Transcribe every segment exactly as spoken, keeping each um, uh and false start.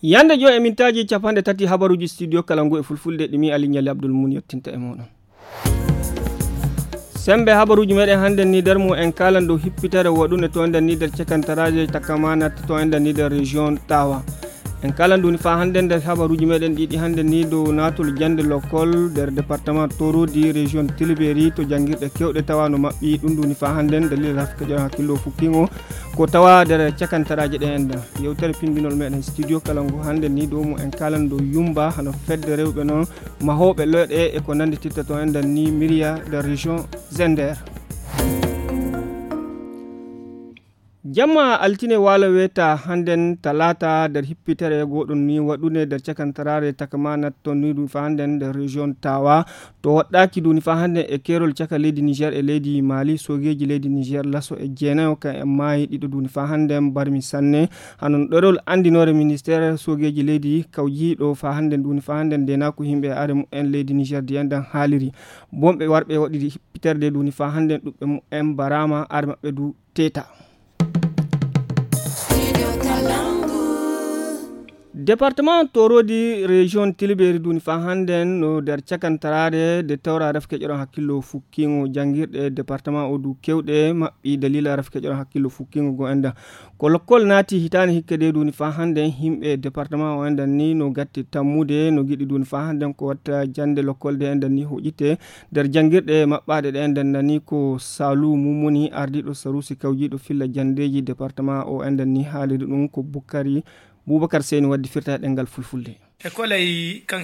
Yande joy e mintaaji capanɗe tati habaruuji studio kala ngu e fulfulde ɗi mi Ali Ɲali Abdul Mun yettinta e mooɗon. Sembe habaruuji meɗen hannden ni nder mum en kaalan dow hippitere waɗunde to enden ni nder cakantaraaje takamaana to enden ni nder région Tawa. En kaalan ɗum ni faa hannden nder habaruuji meɗen ɗiɗi hannden ni dow naatol jannde lokkol nder département Torodi, région Tilberi, to janngirɗe keewɗe tawa no maɓɓi. Ɗum ɗum ni faa hannden dalil rafika ƴoon hakkillo fukkingo ko tawa nder cakantaraaje ɗe enden. Yewtere pinndinol meɗen studio kala ngu hannden ni dow mum en kaalan dow yumba hano fedde rewɓe noon mahooɓe looɗe e ko nannditirta to enden ni Miriya nder région Zender. Jamma altine waalo weeta hannden talaata nder hippitere goɗɗum ni waɗunde nder cakantaraare takamaana to nidu fa hannden nder région Tawa. To waɗɗaaki duni fa hannden e keerol caka leydi Niger e leydi Mali, soogeeji leydi Niger laso e jeenayo kan en maayi, ɗiɗo duni fa hannden barmi sanne. Hano ɗerol anndinoore ministeer soogeeji leydi kawjiiɗo fa hannden duni fa hannden ndenaaku yimɓe are mumen leydi Niger diyan dan haaliri. Bonɓe warɓe waɗiri hippiterde duni fa hannden ɗuɓɓe mumen baraama are maɓɓe du teeta. Département Torodi, région Tilberi duni fa hannden no nder cakantaraare de tawra rafke ƴoron hakkillo fukkingo janngirɗe département o du kewɗe maɓɓi dalila rafke ƴoron hakkillo fukkingo go enda. Ko lokkol naati hitaani hikke de duni fa hannden yimɓe département o endan ni no gatti tammude no giɗi duni fa hannden ko watta jannde lokkol de endan ni hoƴite nder janngirɗe maɓɓaaɗe ɗe endan nani ko Salu Mumuni ardiiɗo sarusi kawjiiɗo filla janndeeji département o endan ni haaliri ɗum ko Bukkari Bubakar Seyni waddi firta e ɗemngal fulfulde.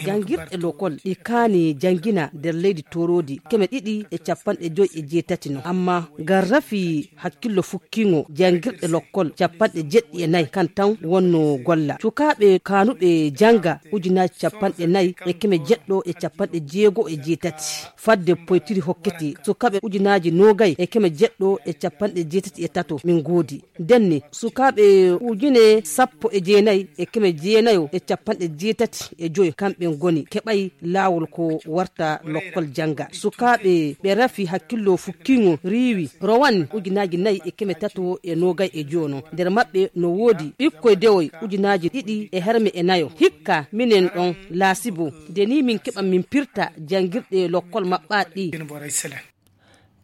Janngirɗe lokol ɗi kaani janngina nder leydi Torodi keme ɗiɗi e capanɗe joy e jeetati no. Amma ngal rafi hakkillo fukkingo janngirɗe lokol capanɗe jeɗɗi e nayi kan tan wonno golla. Sukaaɓe kaanuɓe jannga ujunaaji capanɗe nayi e keme jeɗɗo e capanɗe jeego e jeetati. Fadde poytiri hokkete sukaaɓe ujunaaji noogay e keme jeɗɗo e capanɗe jeetati e tato min ngoodi. Ndenne, sukaaɓe ujune sappo e jeenayi e keme jeenayo e capanɗe jeetati e joy kamɓe ngoni keɓay laawol ko warta lokkol jannga. Sukaaɓe ɓe rafi hakkillo fukkingo riiwi rowan ujunaaji nayi e keme tato e noogay e joono. Nder maɓɓe no woodi ɓikkoy dewoy ujunaaji ɗiɗi e herme e nayo. Hikka minen ɗon laasibo, nde ni min keɓa min pirta janngirɗe lokkol maɓɓaaɗi.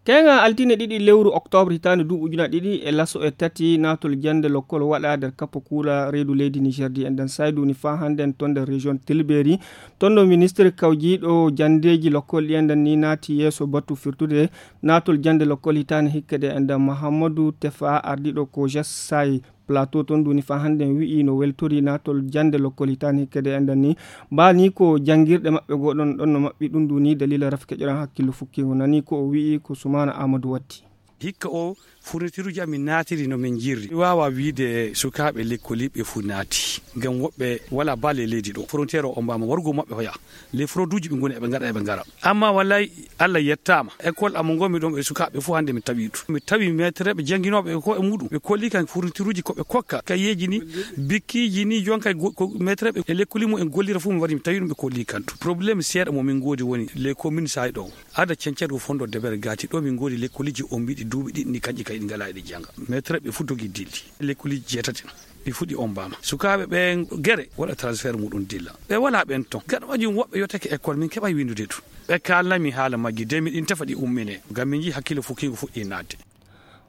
Keenga altine ɗiɗi lewru oktoobre hitaande duuɓi ujuna ɗiɗi e laso e tati naatol jannde lokkol waɗa nder kappo kuula reedu leydi Niger di en dan saydu ni faa hannden ton nder région Tilberi. Ton ɗo ministre kawjiiɗo janndeeji lokkol ɗi en dan ni naati yeeso batu firtude naatol jannde lokkol hitaande hikkede en dan Mahamadou Tefa ardiiɗo ko J S I Plateau ton duni faa hannden wi'i no weltori naatol jannde lokkol hitaani hikkede enɗan ni. Ba ni ko janngirɗe maɓɓe goo ɗon ɗon no maɓɓi ɗum duni dalila rafi keƴoran hakkillo fukkingo nani ko o wi'i ko Sumaana Aamadu watti. Hikka o furnitiruuji amin naatiri no min njirri mi waawaa wiyde sukaaɓe lekkoliiɓe fof naati ngam woɓɓe walaa baale e leydi ɗo foronteer o ombaama warugol maɓɓe hoya. Les frauduuji ɓe ngoni eɓe ngaɗa eɓe ngara amma wallay Allah yettaama. École amo ngonmi ɗon e sukaaɓe fof hannde mi tawi ɗum mi tawi maîtreɓe jannginooɓe ko e muɗum ɓe kolli kan fournituruuji ko ɓe kokka kayeeji ni bikkiiji ni jonkay ko maîtreɓe e lekkoli mum en gollira fof mi wari mi tawi ɗum ɓe kolli kan tu problème seeɗa mo min ngoodi woni les communes saay ɗo ada cencet ko fondo debere gati ɗo min ngoodi lekkoliiji on mbiɗi duuɓi ɗiɗi ni kanƴi kay ɗi ngala eɗi jannga maîtreɓe fof dogi dilli lekkoliiji jeetati. Ɓe fuɗi ombaama sukaaɓe ɓe gere waɗa transfert muɗum dilla ɓe wala ɓen ton gaɗa majum woɓɓe yottake école min keɓay windude tun. Ɓe kalnami haala majji de miɗin tefa ɗi ummine ngam min jii hakkille fukkigo fuɗɗi naatde.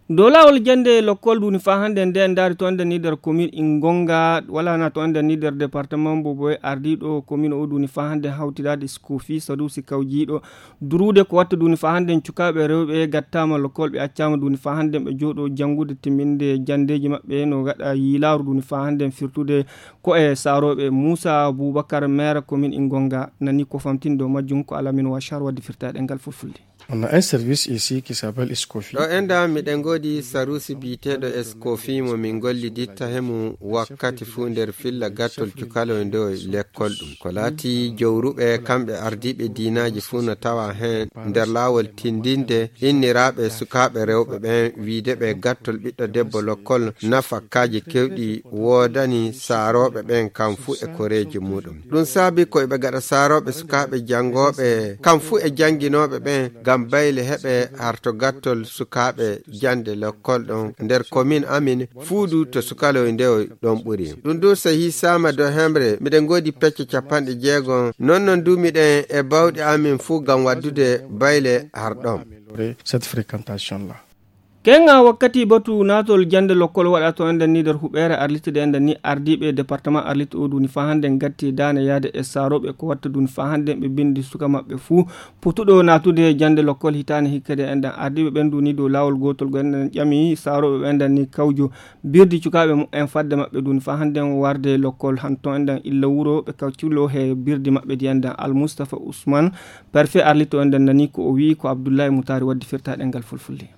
Dow laawol jannde lokkol duni faa hannde nde ndaari to enden ni nder commune ingonga wala na to enden ni nder département mbo boye ardiiɗo commune o duni faa hannde hawtiraade skofi sadusi kawjiiɗo duruude ko watta duni faa hannden cukaaɓe rewɓe gattaama lokkol ɓe accaama duni faa hannden ɓe jooɗo janngude timminde janndeeji maɓɓe no gaɗa yiilaaru duni faa hannden firtude ko e saarooɓe muusa buubakar maire commune ingonga nani ko famtinde o majjum ko alamin wachar wadde firtaaɗe ngal fulfulde. On a un service ici qui s'appelle Escofi. Ɗo enda miɗen ngoodi sarusi biyeteeɗo Escofi mo min golliditta he mum wakkati fuu nder filla gattol cukaloy ndoy lekkol ɗum ko laati jowruɓe kamɓe ardiiɓe diinaaji fuu no tawa heen nder laawol tindinde inniraaɓe sukaaɓe rewɓe ɓeen wiide ɓe gattol ɓiɗɗo debbo lokkol nafakkaaji kewɗi woodani saarooɓe ɓeen kam fuu e koreeji muɗum ɗum saabi ko eɓe gaɗa saarooɓe sukaaɓe janngooɓe kam fuu e jannginooɓe ɓeen. Bayle heɓe harto gattol sukaaɓe jannde lekkol ɗon nder komin amin, fuudu to sukaloy ndewoy ɗon ɓuri. Ɗum du so hiisaama dow hemre, miɗen ngoodi pecce capanɗe jeegom. Non non du miɗen e bawɗe amin fuu ngam waddude bayle har ɗon. Cette fréquentation-là. Kenga wakkati batu naatol jannde lokkol waɗa to enden ni nder huɓeere Arlit de enden ni ardiiɓe département Arlit o duni faa hannde ngatti daane yaade e saarooɓe ko watta duni faa hannde ɓe binndi suka maɓɓe fuu potuɗo naatude jannde lokkol hitaande hikkade enden ardiiɓe ɓen duni dow laawol gootol go enden ƴami saarooɓe ɓe enden ni kawjo birdi cukaaɓe mumen fadde maɓɓe duni faa hannde warde lokkol hanto enden illa wuro ɓe kawculo he birdi maɓɓe di enden Al Mustafa Usman, parfait Arlit o enden nani ko o wi'i ko Abdullahi Mutari waddi firta ɗengal fulfulde.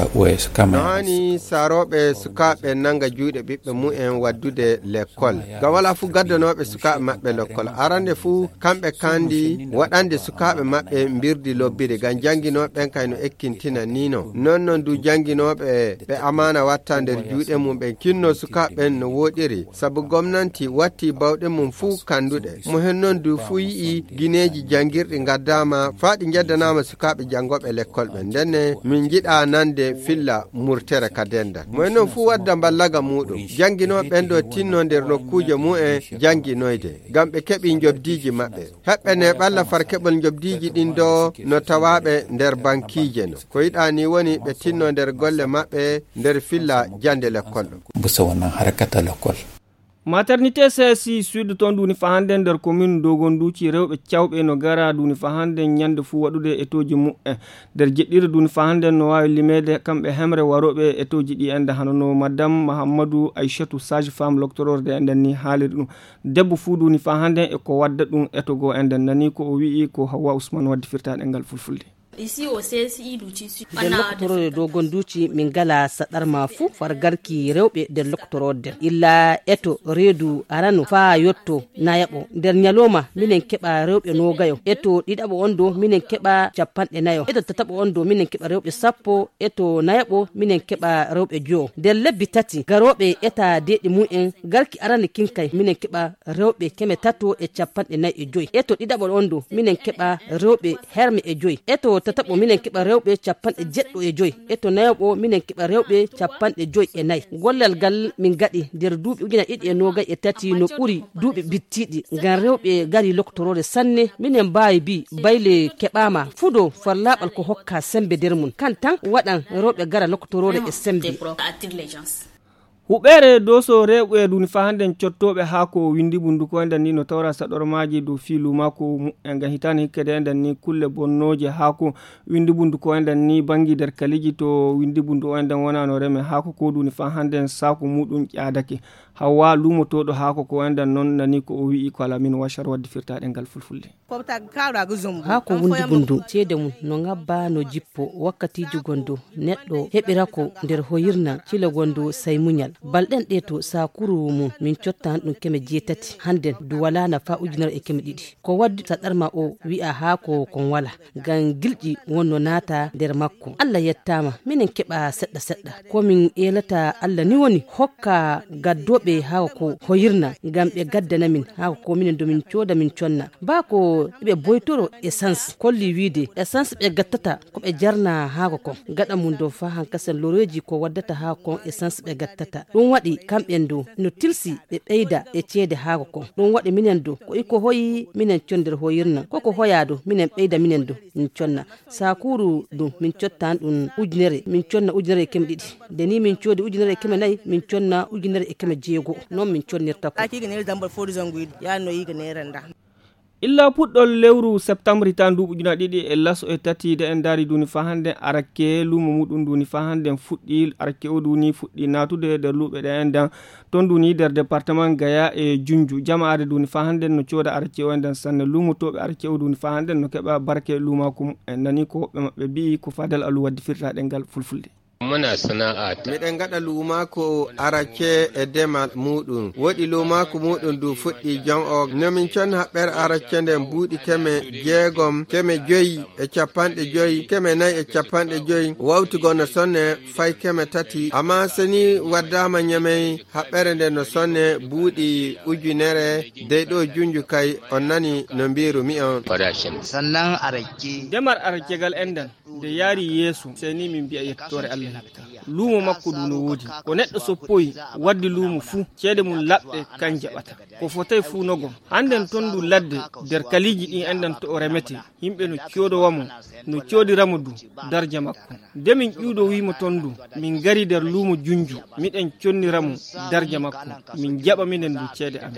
No haani saarooɓe sukaaɓe nannga juuɗe ɓiɓɓe mumen waddude lekkol. Ngam walaa fuu gaddanooɓe sukaaɓe maɓɓe lekkol. Arande fuu kamɓe kandi waɗande sukaaɓe maɓɓe mbirdi lobbiri ngam jannginooɓe ɓen kay no ekkintina ni no. Non non du jannginooɓe ɓe amaana watta nder juuɗe mum ɓen kinno sukaaɓe ɓen no wooɗiri. Sabu gomnanti watti bawɗe mum fuu kannduɗe. Mo hen non du fuu yi'i gineeji janngirɗi ngaddaama faa ɗi njeddanaama sukaaɓe janngooɓe lekkol ɓen. Ndenne min njiɗa nande filla murtere ka dendal. Mo hen non fuu wadda mballaga muuɗum. Jannginooɓe ɓen ɗo tinno nder nokkuuje mumen jannginoyde. Ngam ɓe keɓi njobdiiji maɓɓe. Heɓɓe ne ɓalla far keɓol njobdiiji ɗin ɗo no tawaaɓe nder bankiije no. Ko yiɗaa ni woni ɓe tinno nder golle maɓɓe nder filla jannde lekkol ɗo. Busa wannan harkata lekkol. Maternité C S I Sud toon duuni faa hannden nder commune Dogonduuci rewɓe cawɓe no gara duuni faa hannden ñande fuu waɗude etooji mumen. Nder jeɗɗiire duuni faa hannden no waawi limeede kamɓe hemre warooɓe etooji ɗi enden hano no Madame Mahammadu Aishatu sage femme loktororde enden ni haaliri ɗum. Debbo fuu duuni faa hannden e ko wadda ɗum etogo enden nani ko o wi'i ko Hawwa Usman waddi firtaaɗe ngal fulfulde. Nder loktorode dow gonduuci min ngala saɗarma fuu far garki rewɓe nder loktorode nden illa eto reedu arano faa yotto nayaɓo. Nder ñalooma minen keɓa rewɓe noogayo, eto ɗiɗaɓo on dow minen keɓa capanɗe nayo, eto tataɓo on dow minen keɓa rewɓe sappo, eto nayaɓo minen keɓa rewɓe jowo. Nder lebbi tati garooɓe eta deeɗi mumen garki arani kinkay minen keɓa rewɓe keme tato e capanɗe nayi e joyi. Eto ɗiɗaɓo on dow minen keɓa rewɓe herme e joyi. Eto tataɓo minen keɓa rewɓe capanɗe jeɗɗo e joyi. Eto nayaɓo minen keɓa rewɓe capanɗe joyi e nayi. Gollal ngal min ngaɗi nder duuɓi ujuna ɗiɗi e noogay e tati no ɓuri duuɓi bittiiɗi ngam rewɓe ngari loktoroore sanne. Minen mbaawi mbii bayle keɓaama fudo far laaɓal ko hokka semmbe nder mum kan tan waɗan rewɓe ngara loktoroore e semmbe. Huɓeere doso rewɓe duni faa hannden cottooɓe haako windi bunduko enden ni no tawra saɗormaaji dow fii luumaaku mumen ngam hitaande hikkede enden ni kulle bonnooje haako windi bunduko enden ni banngi nder kaliiji to windi bunduko enden wonano reme haako ko duni faa hannden saaku muuɗum ƴaadake. Hawwa luumotooɗo haako ko enden non nani ko o wi'i ko Alamin Washar waddi firtaaɗe ngal fulfulde. Haa ko wundi bundu ceede mum no ngabba no jippo wakkatiiji gondo neɗɗo heɓira ko nder hoyirna cile gondo say muñal. Balɗen ɗe to saakuru mum min cottan ɗum keme jeetati hannden du wala nafa ujunere e keme ɗiɗi. Ko waddi saɗarma o wi'a haa ko kon wala ngam gilƴi wonno naata nder makko. Allah yettaama minen keɓa seɗɗa seɗɗa. Ko min eelata Allah ni woni hokka gaddooɓe haako ko hoyirna ngam ɓe gaddana min haako ko minen do min cooda min conna. Baa ko ɓe boytoro essence kolli wiide essence ɓe gattata ko ɓe jarna haako kon gaɗa mum do faa hankasen loreeji ko waddata haako kon essence ɓe gattata. Ɗum waɗi kamɓen do no tilsi ɓe ɓeyda e ceede haako kon. Ɗum waɗi minen do ko iko hoyi minen conder hoyirna ko ko hoyaa do minen ɓeyda minen do min conna. Saakuru ɗum min cottan ɗum ujunere min conna ujunere e keme ɗiɗi. Nde ni min coodi ujunere e keme nayi min conna ujunere e keme jeego non min connirta ko. Illa puɗɗol lewru septembre tan nduuɓu ujuna ɗiɗi e laso e tati de en daari duni faa hannden arakke luumo muɗum duni faa hannden fuɗɗi arakke o duni fuɗɗi naatude nder luuɓe ɗe en dan. Ton duni nder département gaya e junju jamaare duni faa hannden no cooda arakke o en dan sanne luumotooɓe arakke o duni faa hannden no keɓa barke luumaaku mumen nani ko woɓɓe maɓɓe mbi'i ko fadal alu waddi firtaaɗe ngal fulfulde. Muna sana'a ta. Miɗen ngaɗa luumaaku aracce e demal muuɗum. Woɗi luumaaku muuɗum du fuɗɗi jon o. No min conna haɓɓere aracce nden buuɗi keme jeegom, keme joyi e capanɗe joyi, keme nayi e capanɗe joyi. Wawti go no sonne fay keme tati. Amma seni waddaama Ñamey haɓɓere nden no sonne buuɗi ujunere dey ɗo junju kay on nani no mbiiru mi on. Sannan aracce. Demar aracce gal endan. Nde yaari yeeso, sey ni min mbi'a yettoore Allah heɓta. Luumo makko du no woodi. Ko neɗɗo soppoyi waddi luumo fuu, ceede mum laɓɗe kan jaɓata. Ko fotay fuu no gom. Hannden ton du ladde, nder kaliiji ɗin enɗan to o remete. Yimɓe no coodowa mo, no coodira mo du, darja makko. Nde min ƴuuɗo wi'i mo ton du, min ngari nder luumo junju, miɗen connira mo, darja makko. Min jaɓa minen du ceede amin.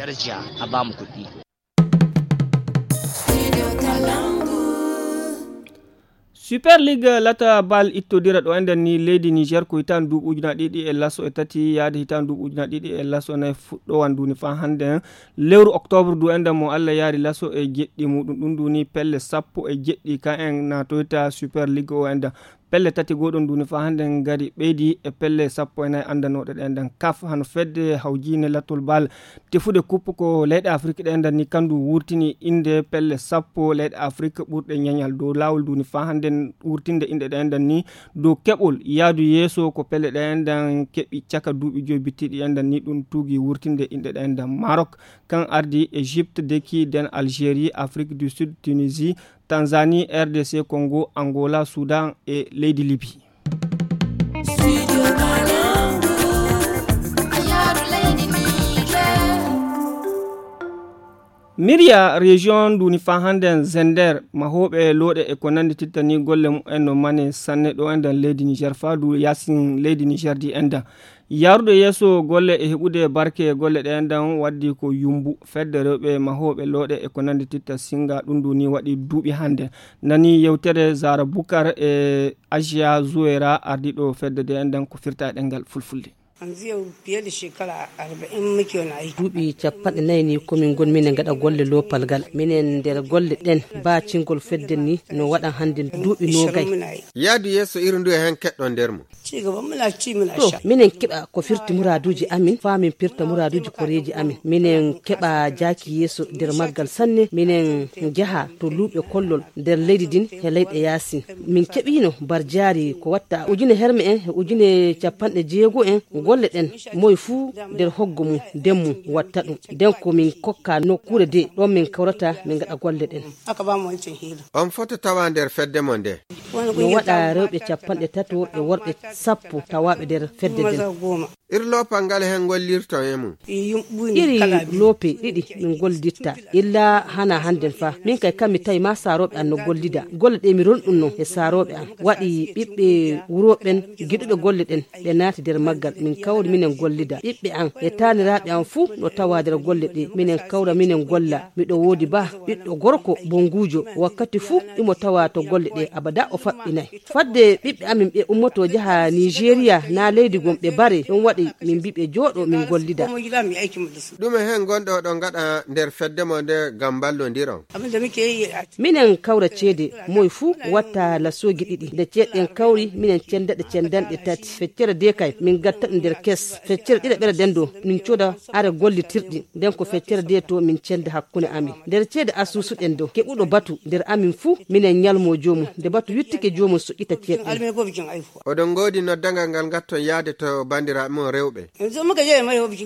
Super League lata bal ittodira ɗo enɗan ni leydi Niger ko hitan duuɓi ujuna ɗiɗi e laso e tati yaade hitan duuɓi ujuna ɗiɗi e laso nayi fuɗɗowan duni fa hannden lewru octobre du enɗan mo Allah yaari laso e jeɗɗi muɗum ɗum duni pelle sappo e jeɗɗi ka en natoyta Super League o enɗan pelle tati goɗon duni fa hannden ngari ɓeydi e pelle sappo e nayi anndanoɗe ɗe enɗan kaf hano fedde hawjine latol bal tefude kuppu ko leyɗe Afrik ɗe enɗan ni kandu wurtini innde pelle sappo leyɗe Afrik ɓurɗe ñañal dow laawol duni fa hannden wurtinde inɗe ɗe enɗan ni dow keɓol yaadu yeeso ko pelle ɗe enɗan keɓi caka duuɓi joyi bittiɗi enɗan ni ɗum tuugi wurtinde inɗe ɗe enɗan Maroc kan ardi Égypte deki den Algérie Afrique du Sud Tunisie Tanzanie R D C Congo Angola Soudan e leydi Libye. Miriya région nduni fa hannden Zender mahooɓe looɗe e ko nanndi tittani golle mumen no mane sanne ɗo enɗan leydi Niger fa du yaasin leydi Niger di enɗan yaarude yeeso golle e heɓude barke golle ɗe enɗan waddi ko yumbu fedde rewɓe mahooɓe looɗe e ko nanndi titta singa ɗum nduni waɗi duuɓi hannden nani yewtere Zara Bukar e Ajiya Zuwera ardiɗo fedde de enɗan ko firta e ɗengal fulfulde. Yanzu yau fiye da shekara arba'in muke wani aiki. Duuɓi capanɗe nayi ni komin ngon minen ngaɗa golle lopal ngal. Minen nder golle ɗen ba cingol fedde ni no waɗan hannde duuɓi nogay. Yaadu yeeso iri ndu e hen keɗɗon nder mo. To minen keɓa ko firti muraaduuji amin faa min pirta muraaduuji koreeji amin. Minen keɓa jaaki yeeso nder maggal sanne. Minen njaha to luuɓe kollol nder leydi ndin he leyɗe yaasin. Min keɓiino barjaari ko watta ujune herme en he ujune capanɗe jeego en golle ɗen moy fuu nder hoggo mum nden mum watta ɗum nden ko min kokka nokkuure de ɗon min kawrata min ngaɗa golle ɗen. On foto tawa nder fedde mo nde. No waɗa rewɓe capanɗe tato e worɓe sappo tawaaɓe nder fedde nden. Ir loopal ngal he ngollirton e mum. Iri loope ɗiɗi min gollitta illa hana hannden fa min kay kammi tawi ma saarooɓe an no gollida golle ɗe mi ronɗun non e saarooɓe an waɗi ɓiɓɓe wurooɓen giɗuɓe golle ɗen ɓe naati nder maggal min kawri minen gollida ɓiɓɓe an e taaniraaɓe an fuu no tawa nder golle ɗe minen kawra minen golla miɗo woodi ba ɓiɗɗo gorko bonguujo wakkati fuu imo tawa to golle ɗe abada o faɓɓinay fadde ɓiɓɓe amin ɓe ummoto jaha nigeria na leydi gom ɓe bare ɗum waɗi min mbi ɓe jooɗo min gollida. Ɗume heen ngonɗo oɗon ngaɗa nder fedde mo nde ngam mballondiron? Minen kawra ceede moy fuu watta lasooji ɗiɗi nde ceeɗen kawri minen cennda ɗe cenndanɗe tati feccere de kay min gatta ɗum nder kes feccere ɗiɗaɓere nden ɗo min cooda are gollitirɗi nden ko feccere de to min cennda hakkunde amin nder ceede asuusuɗen ɗo keɓuɗo batu nder amin fuu minen ñalmo joomum nde batu yuttike joomum suɓɓita ceeɗe. Oɗon ngoodi noddangal ngal ngatton yaade to banndiraaɓe mon rewɓe?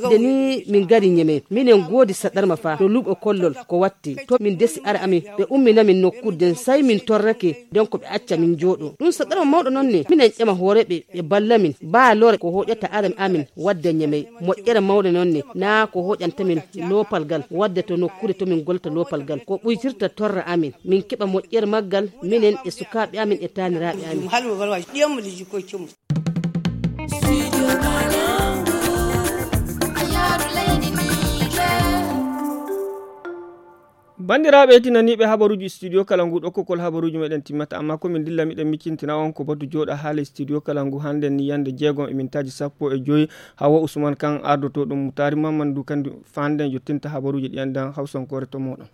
Nde ni min ngari ñeme minen ngoodi saɗarma fa no luuɓo kollol ko watti to min desi ara amin ɓe umminamin nokkude nden say min torrake nden ko ɓe acca min njooɗo ɗum saɗarma mawɗo noon ne minen ƴama hooreɓe ɓe balla min baa lore ko hoƴata ara amin wadda ñeme moƴƴere mawɗe noon ne naa ko hoƴanta min loopal ngal wadda to nokkude to min gollata loopal ngal ko ɓuytirta torra amin min keɓa moƴƴere maggal minen e sukaaɓe amin e taaniraaɓe amin. Banndiraaɓe tinaniiɓe habaruuji studio kala ngu ɗo kokol habaruuji meɗen timmata amma ko min dilla miɗen miccintina on ko batu jooɗa haala studio kala ngu hannden ni yannde jeegom e mintaaji sappo e joyi hawa usman kan ardotoo ɗum mutaari mamman du kandi fanden yottinta habaruuji ɗi anndan hawsankoore to mooɗon.